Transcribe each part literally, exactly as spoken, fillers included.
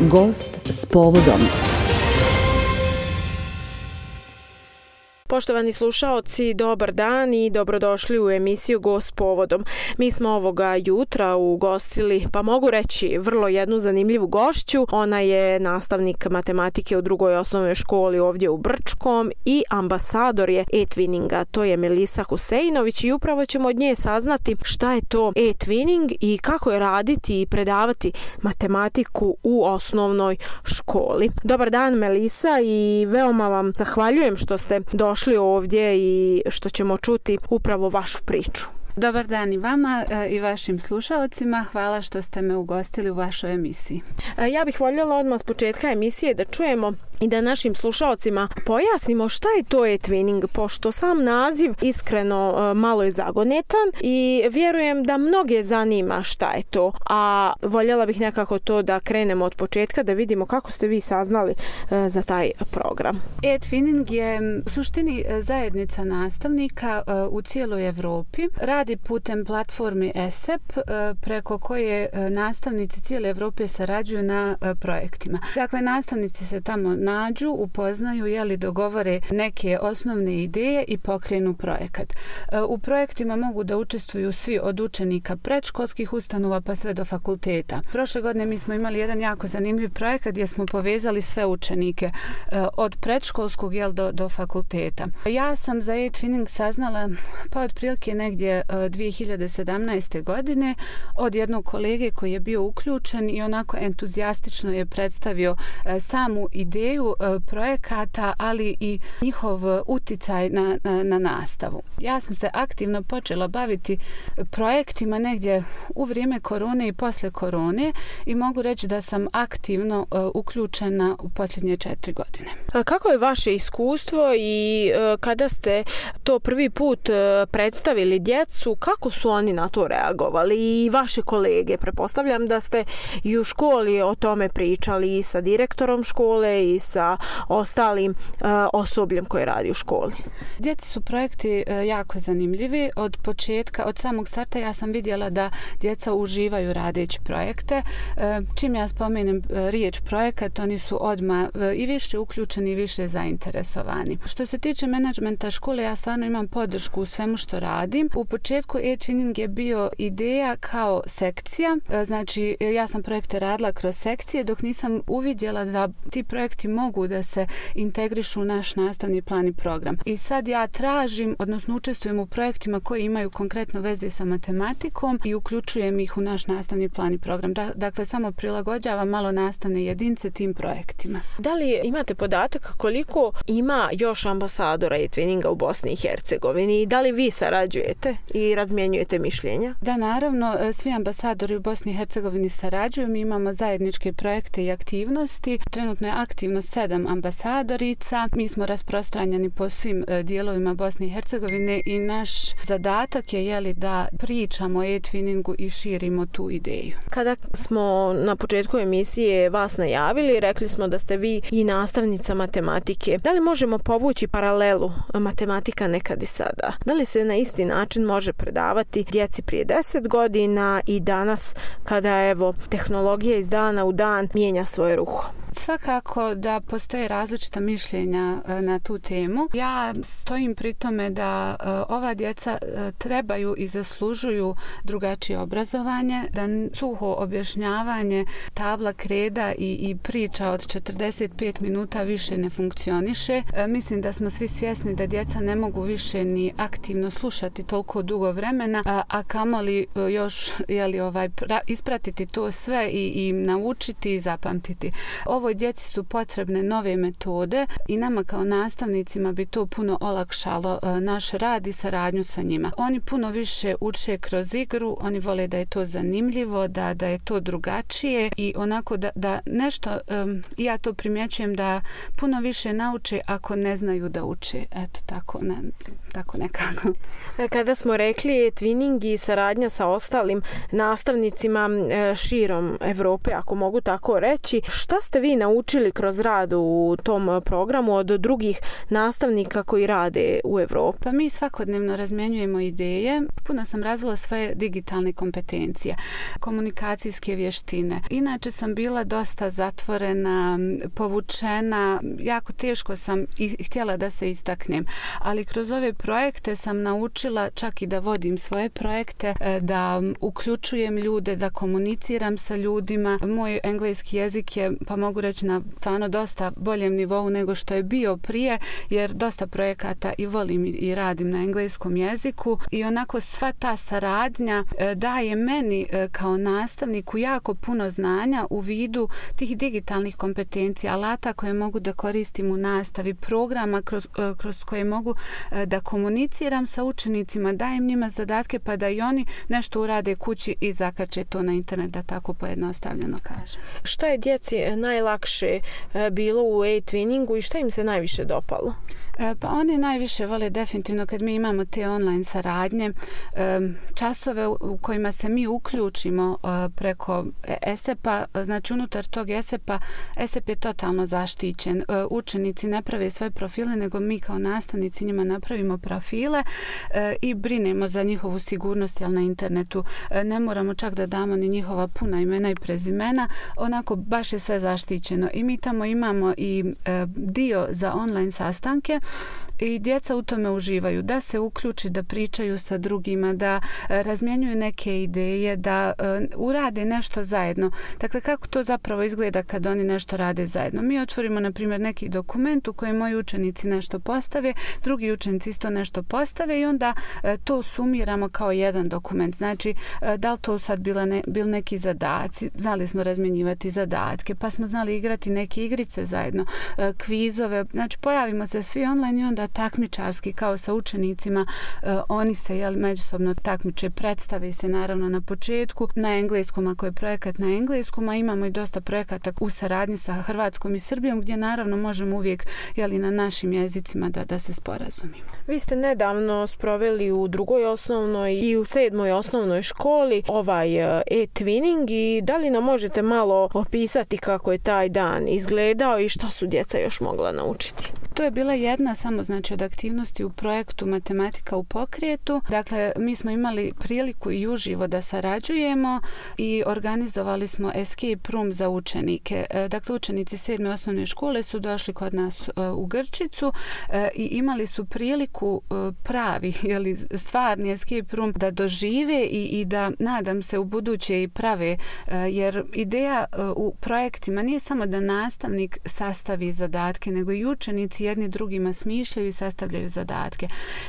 Gost s povodom. Poštovani slušaoci, dobar dan i dobrodošli u emisiju Gost s povodom. Mi smo ovoga jutra ugostili, pa mogu reći, vrlo jednu zanimljivu gošću. Ona je nastavnik matematike u drugoj osnovnoj školi ovdje u Brčkom i ambasador je e-twinninga. To je Melisa Huseinović i upravo ćemo od nje saznati šta je to e-twinning i kako je raditi i predavati matematiku u osnovnoj školi. Dobar dan, Melisa, i veoma vam zahvaljujem što ste došli ovdje i što ćemo čuti upravo vašu priču. Dobar dan i vama i vašim slušaocima. Hvala što ste me ugostili u vašoj emisiji. Ja bih voljela odmah s početka emisije da čujemo i da našim slušaocima pojasnimo šta je to e-twinning, pošto sam naziv iskreno malo je zagonetan i vjerujem da mnoge zanima šta je to, a voljela bih nekako to da krenemo od početka, da vidimo kako ste vi saznali za taj program. E-twinning je u suštini zajednica nastavnika u cijeloj Evropi. Radi putem platformi E S E P preko koje nastavnici cijele Evrope sarađuju na projektima. Dakle, nastavnici se tamo nađu, upoznaju, jeli dogovore neke osnovne ideje i pokrenu projekat. U projektima mogu da učestvuju svi od učenika predškolskih ustanova pa sve do fakulteta. Prošle godine mi smo imali jedan jako zanimljiv projekat gdje smo povezali sve učenike od predškolskog jel, do, do fakulteta. Ja sam za e-twinning saznala pa otprilike negdje dvije hiljade sedamnaeste. godine od jednog kolege koji je bio uključen i onako entuzijastično je predstavio samu ideju projekata, ali i njihov uticaj na, na, na nastavu. Ja sam se aktivno počela baviti projektima negdje u vrijeme korone i posle korone i mogu reći da sam aktivno uh, uključena u posljednje četiri godine. Kako je vaše iskustvo i uh, kada ste to prvi put uh, predstavili djecu, kako su oni na to reagovali i vaše kolege? Pretpostavljam da ste i u školi o tome pričali i sa direktorom škole i sa ostalim uh, osobljem koje radi u školi. Djeci su projekti uh, jako zanimljivi. Od početka, od samog starta ja sam vidjela da djeca uživaju radeći projekte. Uh, čim ja spomenem uh, riječ projekat, oni su odmah uh, i više uključeni i više zainteresovani. Što se tiče menadžmenta škole, ja stvarno imam podršku u svemu što radim. U početku e-twinning je bio ideja kao sekcija. Uh, znači, ja sam projekte radila kroz sekcije dok nisam uvidjela da ti projekti mogu da se integrišu u naš nastavni plan i program. I sad ja tražim, odnosno učestvujem u projektima koji imaju konkretno veze sa matematikom i uključujem ih u naš nastavni plan i program. Dakle, samo prilagođavam malo nastavne jedinice tim projektima. Da li imate podatak koliko ima još ambasadora e-twinninga u Bosni i Hercegovini i da li vi sarađujete i razmjenjujete mišljenja? Da, naravno, svi ambasadori u Bosni i Hercegovini sarađuju. Mi imamo zajedničke projekte i aktivnosti. Trenutno je aktivno sedam ambasadorica. Mi smo rasprostranjeni po svim dijelovima Bosne i Hercegovine i naš zadatak je jeli, da pričamo o e-twinningu i širimo tu ideju. Kada smo na početku emisije vas najavili, rekli smo da ste vi i nastavnica matematike. Da li možemo povući paralelu matematika nekad i sada? Da li se na isti način može predavati djeci prije deset godina i danas kada evo tehnologija iz dana u dan mijenja svoje ruho? Svakako da postoje različita mišljenja na tu temu. Ja stojim pri tome da ova djeca trebaju i zaslužuju drugačije obrazovanje, da suho objašnjavanje tabla kreda i, i priča od četrdeset pet minuta više ne funkcioniše. Mislim da smo svi svjesni da djeca ne mogu više ni aktivno slušati toliko dugo vremena, a, a kamoli još jeli, ovaj, pra, ispratiti to sve i, i naučiti i zapamtiti. Ovoj djeci su potrebne nove metode i nama kao nastavnicima bi to puno olakšalo uh, naš rad i saradnju sa njima. Oni puno više uče kroz igru, oni vole da je to zanimljivo, da, da je to drugačije i onako da, da nešto, um, ja to primjećujem da puno više nauče ako ne znaju da uče. Eto, tako, ne, tako nekako. Kada smo rekli e-twinning i saradnja sa ostalim nastavnicima širom Evrope, ako mogu tako reći, šta ste vi naučili naučili kroz rad u tom programu od drugih nastavnika koji rade u Evropi? Pa mi svakodnevno razmjenjujemo ideje. Puno sam razvila svoje digitalne kompetencije, komunikacijske vještine. Inače sam bila dosta zatvorena, povučena, jako teško sam i htjela da se istaknem. Ali kroz ove projekte sam naučila čak i da vodim svoje projekte, da uključujem ljude, da komuniciram sa ljudima. Moj engleski jezik je, pa mogu reći, na stvarno dosta boljem nivou nego što je bio prije, jer dosta projekata i volim i radim na engleskom jeziku i onako sva ta saradnja daje meni kao nastavniku jako puno znanja u vidu tih digitalnih kompetencija, alata koje mogu da koristim u nastavi, programa kroz, kroz koje mogu da komuniciram sa učenicima, dajem njima zadatke pa da i oni nešto urade kući i zakače to na internet, da tako pojednostavljeno kažem. Šta je djeci najlakše bilo u e-twinningu i šta im se najviše dopalo? Pa oni najviše vole definitivno kad mi imamo te online saradnje, časove u kojima se mi uključimo preko E S E P-a, znači unutar tog E S E P-a, E S E P je totalno zaštićen. Učenici ne prave svoje profile, nego mi kao nastavnici njima napravimo profile i brinemo za njihovu sigurnost, jel na internetu ne moramo čak da damo ni njihova puna imena i prezimena, onako baš je sve zaštićeno. I mi tamo imamo i dio za online sastanke i djeca u tome uživaju, da se uključi, da pričaju sa drugima, da razmjenjuju neke ideje, da urade nešto zajedno. Dakle, kako to zapravo izgleda kad oni nešto rade zajedno? Mi otvorimo, na primjer, neki dokument u kojem moji učenici nešto postave, drugi učenici isto nešto postave i onda to sumiramo kao jedan dokument. Znači, da li to sad bila ne, bil neki zadaci, znali smo razmjenjivati zadatke, pa smo znali igrati neke igrice zajedno, kvizove, znači pojavimo se svi online i onda takmičarski kao sa učenicima, uh, oni se jel, međusobno takmiče, predstave se naravno na početku na engleskom, ako je projekat na engleskom, a imamo i dosta projekata u saradnji sa Hrvatskom i Srbijom gdje naravno možemo uvijek jel, na našim jezicima da, da se sporazumimo. Vi ste nedavno sproveli u drugoj osnovnoj i u sedmoj osnovnoj školi ovaj e-twinning i da li nam možete malo opisati kako je taj dan izgledao i šta su djeca još mogla naučiti? To je bila jedna samo znači od aktivnosti u projektu Matematika u pokretu. Dakle, mi smo imali priliku i uživo da sarađujemo i organizovali smo escape room za učenike. Dakle, učenici sedme osnovne škole su došli kod nas u Grčicu i imali su priliku pravi, jeli, stvarni escape room da dožive i, i da, nadam se, u buduće i prave, jer ideja u projektima nije samo da nastavnik sastavi zadatke, nego i učenici jedni drugima smišljaju i sastavljaju zadatke.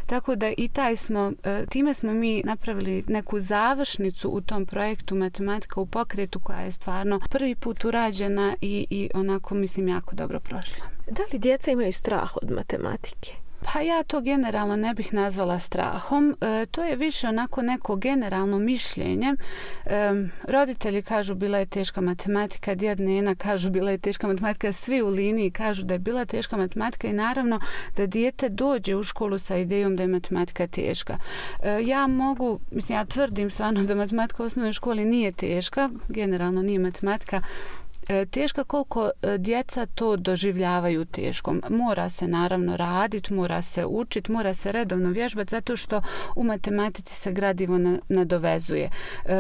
Tako da i taj smo, time smo mi napravili neku završnicu u tom projektu Matematika u pokretu koja je stvarno prvi put urađena i, i onako mislim jako dobro prošla. Da li djeca imaju strah od matematike? Pa ja to generalno ne bih nazvala strahom. E, to je više onako neko generalno mišljenje. E, roditelji kažu bila je teška matematika, djed nena kažu bila je teška matematika, svi u liniji kažu da je bila teška matematika i naravno da dijete dođe u školu sa idejom da je matematika teška. E, ja mogu, mislim ja tvrdim stvarno da matematika u osnovnoj školi nije teška, generalno nije matematika teška koliko djeca to doživljavaju teškom. Mora se naravno raditi, mora se učiti, mora se redovno vježbati zato što u matematici se gradivo nadovezuje.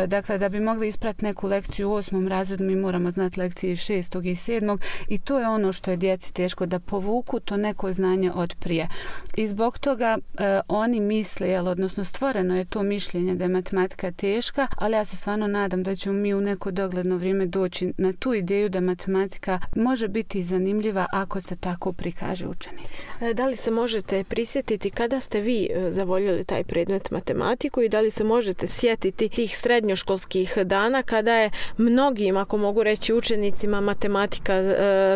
Dakle, da bi mogli isprati neku lekciju u osmom razredu mi moramo znati lekcije šestog i sedmog i to je ono što je djeci teško, da povuku to neko znanje od prije. I zbog toga eh, oni misle, jel, odnosno stvoreno je to mišljenje da je matematika teška, ali ja se stvarno nadam da ćemo mi u neko dogledno vrijeme doći na tu ideju da matematika može biti zanimljiva ako se tako prikaže učenicima. Da li se možete prisjetiti kada ste vi zavoljeli taj predmet matematiku i da li se možete sjetiti tih srednjoškolskih dana kada je mnogim, ako mogu reći, učenicima matematika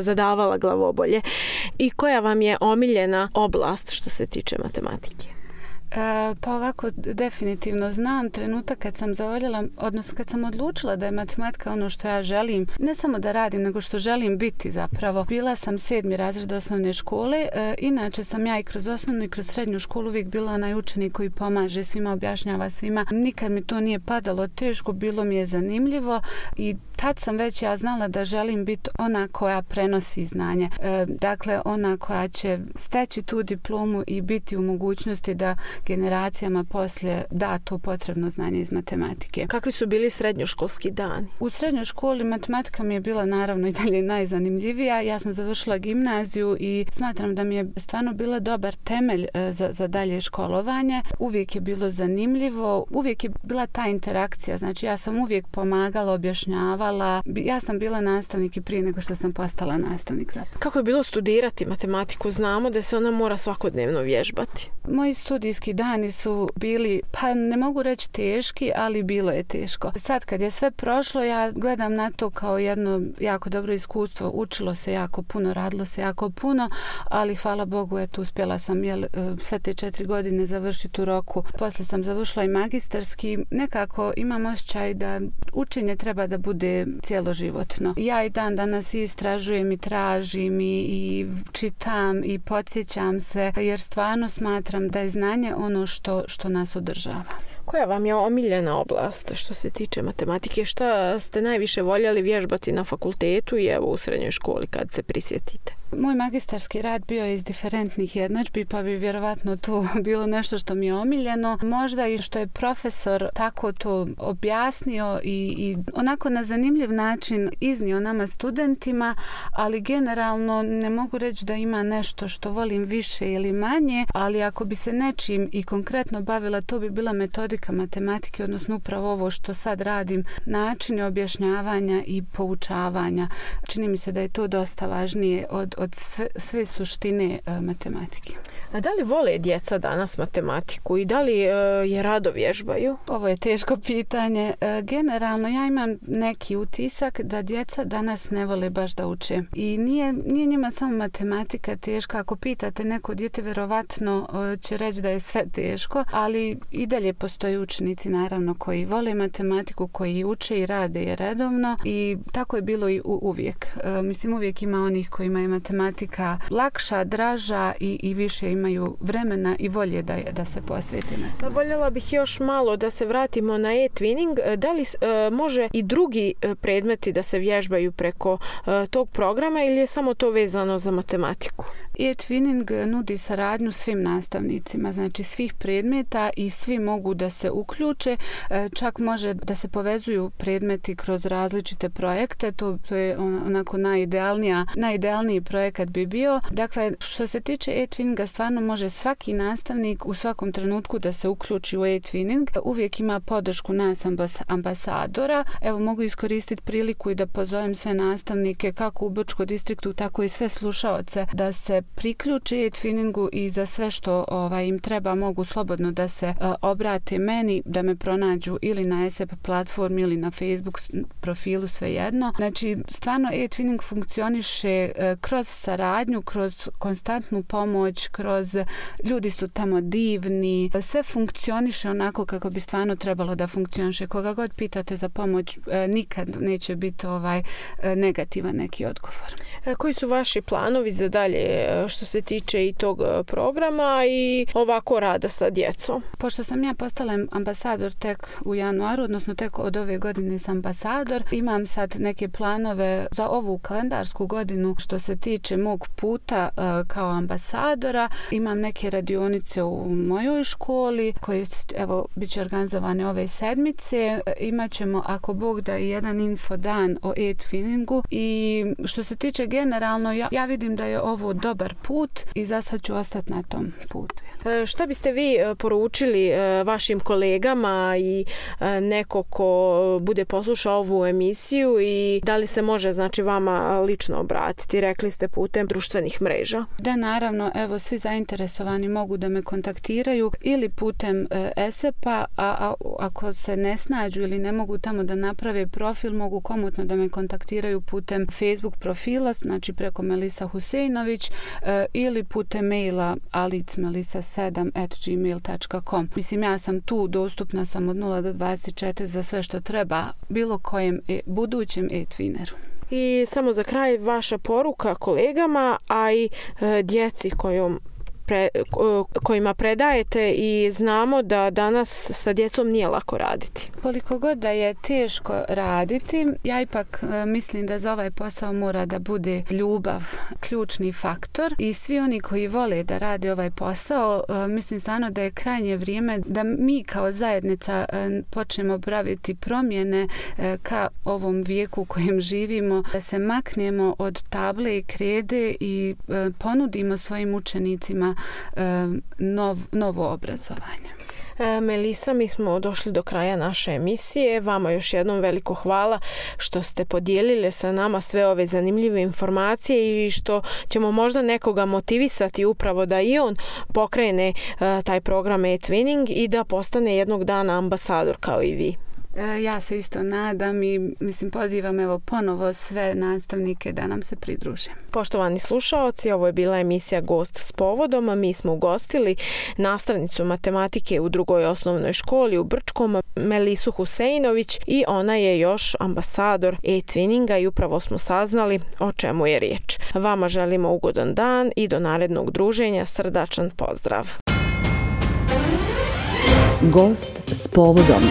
zadavala glavobolje i koja vam je omiljena oblast što se tiče matematike? E, pa ovako, definitivno znam trenutak kad sam zavoljela, odnosno kad sam odlučila da je matematika ono što ja želim, ne samo da radim, nego što želim biti zapravo. Bila sam sedmi razred osnovne škole, e, inače sam ja i kroz osnovnu i kroz srednju školu uvijek bila onaj učenik koji pomaže svima, objašnjava svima. Nikad mi to nije padalo teško, bilo mi je zanimljivo i tad sam već ja znala da želim biti ona koja prenosi znanje. E, dakle, ona koja će steći tu diplomu i biti u mogućnosti da generacijama poslije da to potrebno znanje iz matematike. Kakvi su bili srednjoškolski dani? U srednjoj školi matematika mi je bila naravno i dalje najzanimljivija. Ja sam završila gimnaziju i smatram da mi je stvarno bila dobar temelj e, za, za dalje školovanje. Uvijek je bilo zanimljivo, uvijek je bila ta interakcija. Znači ja sam uvijek pomagala, objašnjavala. Ja sam bila nastavnik i prije nego što sam postala nastavnik zapravo. Kako je bilo studirati matematiku? Znamo da se ona mora svakodnevno vježbati. Moji studijski dani su bili, pa ne mogu reći teški, ali bilo je teško. Sad kad je sve prošlo, ja gledam na to kao jedno jako dobro iskustvo. Učilo se jako puno, radilo se jako puno, ali hvala Bogu, eto, uspjela sam jel, sve te četiri godine završiti u roku. Poslije sam završila i magistarski. Nekako imam osjećaj da učenje treba da bude cijeloživotno. Ja i dan danas istražujem i tražim i, i čitam i podsjećam se, jer stvarno smatram da je znanje ono što, što nas održava. Koja vam je omiljena oblast što se tiče matematike? Šta ste najviše voljeli vježbati na fakultetu i evo u srednjoj školi kad se prisjetite? Moj magistarski rad bio je iz diferentnih jednadžbi, pa bi vjerovatno to bilo nešto što mi je omiljeno. Možda i što je profesor tako to objasnio i, i onako na zanimljiv način iznio nama studentima, ali generalno ne mogu reći da ima nešto što volim više ili manje, ali ako bi se nečim i konkretno bavila, to bi bila metodika matematike, odnosno upravo ovo što sad radim, načini objašnjavanja i poučavanja. Čini mi se da je to dosta važnije od od sve, sve suštine e, matematike. A da li vole djeca danas matematiku i da li e, je rado vježbaju? Ovo je teško pitanje. E, generalno ja imam neki utisak da djeca danas ne vole baš da uče. I nije, nije njima samo matematika teška. Ako pitate neko dijete, vjerovatno e, će reći da je sve teško, ali i dalje postoje učenici naravno koji vole matematiku, koji uče i rade je redovno i tako je bilo i u, uvijek. E, mislim, uvijek ima onih koji imaju matematika lakša, draža i, i više imaju vremena i volje da, da se posvete matematici. Voljela bih još malo da se vratimo na e-twinning. Da li e, može i drugi predmeti da se vježbaju preko e, tog programa ili je samo to vezano za matematiku? E-twinning nudi saradnju svim nastavnicima, znači svih predmeta i svi mogu da se uključe. E, čak može da se povezuju predmeti kroz različite projekte. To, to je onako najidealnija, najidealniji projekat bi bio. Dakle, što se tiče e-twinninga, stvarno može svaki nastavnik u svakom trenutku da se uključi u e-twinning. Uvijek ima podršku nas ambasadora. Evo, mogu iskoristiti priliku i da pozovem sve nastavnike, kako u Brčkom distriktu, tako i sve slušaoce, da se priključe e-twinningu i za sve što ovaj, im treba mogu slobodno da se uh, obrate meni, da me pronađu ili na ESEP platformi ili na Facebook profilu, svejedno. Znači, stvarno e-twinning funkcioniše uh, kroz saradnju, kroz konstantnu pomoć, kroz ljudi su tamo divni, sve funkcioniše onako kako bi stvarno trebalo da funkcioniše. Koga god pitate za pomoć, uh, nikad neće biti ovaj uh, negativan neki odgovor. E, koji su vaši planovi za dalje što se tiče i tog programa i ovako rada sa djecom? Pošto sam ja postala ambasador tek u januaru, odnosno tek od ove godine sam ambasador, imam sad neke planove za ovu kalendarsku godinu što se tiče mog puta uh, kao ambasadora. Imam neke radionice u mojoj školi koje, evo, bit će organizovane ove sedmice. Imaćemo, ako Bog da, i jedan info dan o e-twinningu i što se tiče generalno, ja, ja vidim da je ovo dobar put i za sad ću ostati na tom putu. E, šta biste vi poručili e, vašim kolegama i e, neko ko bude poslušao ovu emisiju i da li se može, znači, vama lično obratiti? Rekli ste putem društvenih mreža. Da, naravno, evo, svi zainteresovani mogu da me kontaktiraju ili putem e, ESEP-a, a, a ako se ne snađu ili ne mogu tamo da naprave profil, mogu komotno da me kontaktiraju putem Facebook profila, znači preko Melisa Huseinović, e, ili putem maila alicmelisa sedam at gmail dot com. Mislim, ja sam tu, dostupna sam od nula do dvadeset četiri za sve što treba bilo kojem e, budućem e-twineru. I samo za kraj vaša poruka kolegama, a i e, djeci kojom pre, kojima predajete i znamo da danas sa djecom nije lako raditi. Koliko god da je teško raditi, ja ipak mislim da za ovaj posao mora da bude ljubav ključni faktor i svi oni koji vole da rade ovaj posao, mislim stvarno da je krajnje vrijeme da mi kao zajednica počnemo praviti promjene ka ovom vijeku u kojem živimo, da se maknemo od table i krede i ponudimo svojim učenicima nov, novo obrazovanje. Melisa, mi smo došli do kraja naše emisije. Vama još jednom veliko hvala što ste podijelili sa nama sve ove zanimljive informacije i što ćemo možda nekoga motivisati upravo da i on pokrene uh, taj program e-twinning i da postane jednog dana ambasador kao i vi. Ja se isto nadam i mislim pozivam evo ponovo sve nastavnike da nam se pridruže. Poštovani slušaoci, ovo je bila emisija Gost s povodom, a mi smo ugostili nastavnicu matematike u drugoj osnovnoj školi u Brčkom, Melisu Huseinović, i ona je još ambasador e-twinninga i upravo smo saznali o čemu je riječ. Vama želimo ugodan dan i do narednog druženja srdačan pozdrav. Gost s povodom.